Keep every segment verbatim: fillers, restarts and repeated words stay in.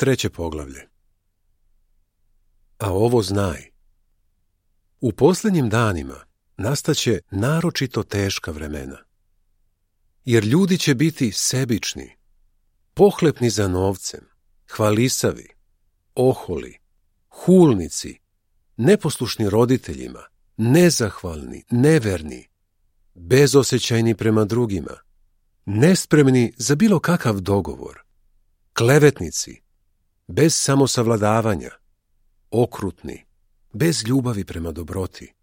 Treće poglavlje. A ovo znaj. U posljednjim danima nastaće naročito teška vremena. Jer ljudi će biti sebični, pohlepni za novcem, hvalisavi, oholi, hulnici, neposlušni roditeljima, nezahvalni, neverni, bezosjećajni prema drugima, nespremni za bilo kakav dogovor, klevetnici, bez samosavladavanja, okrutni, bez ljubavi prema dobroti,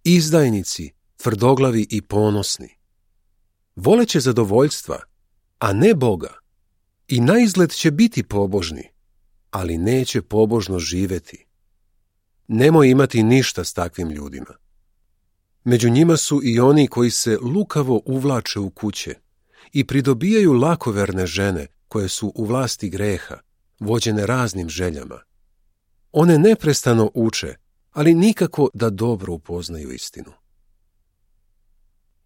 izdajnici, tvrdoglavi i ponosni, voleće zadovoljstva, a ne Boga, i naizgled će biti pobožni, ali neće pobožno živjeti. Nemoj imati ništa s takvim ljudima. Među njima su i oni koji se lukavo uvlače u kuće i pridobijaju lakoverne žene koje su u vlasti greha, vođene raznim željama. One neprestano uče, ali nikako da dobro upoznaju istinu.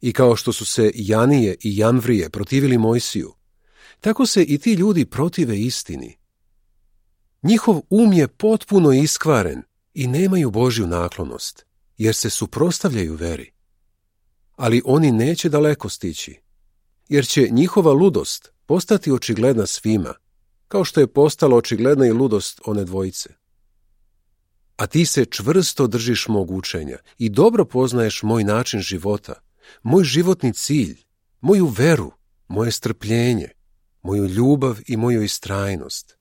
I kao što su se Janije i Jamvrije protivili Mojsiju, tako se i ti ljudi protive istini. Njihov um je potpuno iskvaren i nemaju Božju naklonost, jer se suprotstavljaju veri. Ali oni neće daleko stići, jer će njihova ludost postati očigledna svima, kao što je postala očigledna i ludost one dvojice. A ti se čvrsto držiš mog učenja i dobro poznaješ moj način života, moj životni cilj, moju veru, moje strpljenje, moju ljubav i moju istrajnost.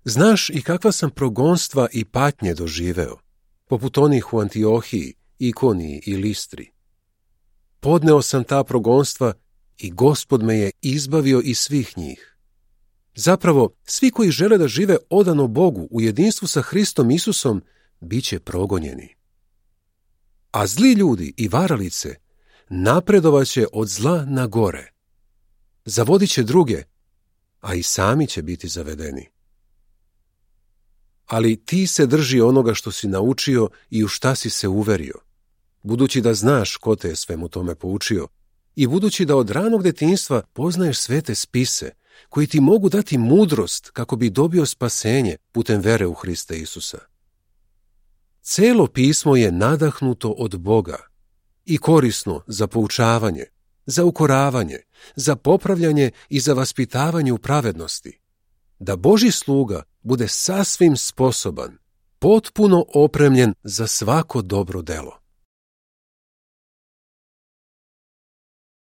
Znaš i kakva sam progonstva i patnje doživeo, poput onih u Antiohiji, Ikoniji i Listri. Podneo sam ta progonstva i Gospod me je izbavio iz svih njih. Zapravo, svi koji žele da žive odano Bogu u jedinstvu sa Hristom Isusom, bit će progonjeni. A zli ljudi i varalice napredovaće od zla na gore. Zavodit će druge, a i sami će biti zavedeni. Ali ti se drži onoga što si naučio i u šta si se uverio, budući da znaš ko te je svemu tome poučio i budući da od ranog detinjstva poznaješ svete spise, koji ti mogu dati mudrost kako bi dobio spasenje putem vere u Hrista Isusa. Celo pismo je nadahnuto od Boga i korisno za poučavanje, za ukoravanje, za popravljanje i za vaspitavanje u pravednosti, da Božji sluga bude sasvim sposoban, potpuno opremljen za svako dobro delo.